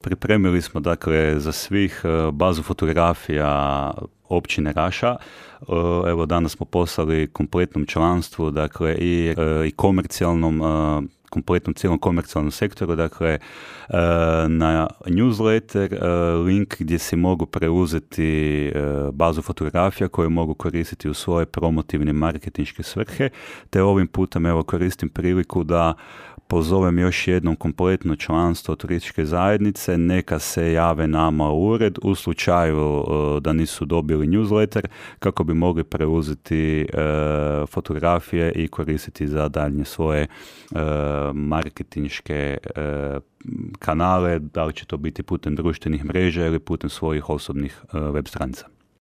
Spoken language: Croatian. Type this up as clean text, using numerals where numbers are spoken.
Pripremili smo dakle za svih bazu fotografija općine Raša. Evo danas smo poslali kompletnom članstvu, dakle i komercijalnom, kompletnom cijelom komercijalnom sektoru, dakle na newsletter link gdje si mogu preuzeti bazu fotografija koje mogu koristiti u svoje promotivne marketinške svrhe, te ovim putem evo koristim priliku da pozovem još jednom kompletno članstvo turističke zajednice, neka se jave nama u ured u slučaju da nisu dobili newsletter kako bi mogli preuzeti fotografije i koristiti za daljnje svoje marketinške kanale, da li će to biti putem društvenih mreža ili putem svojih osobnih web stranica.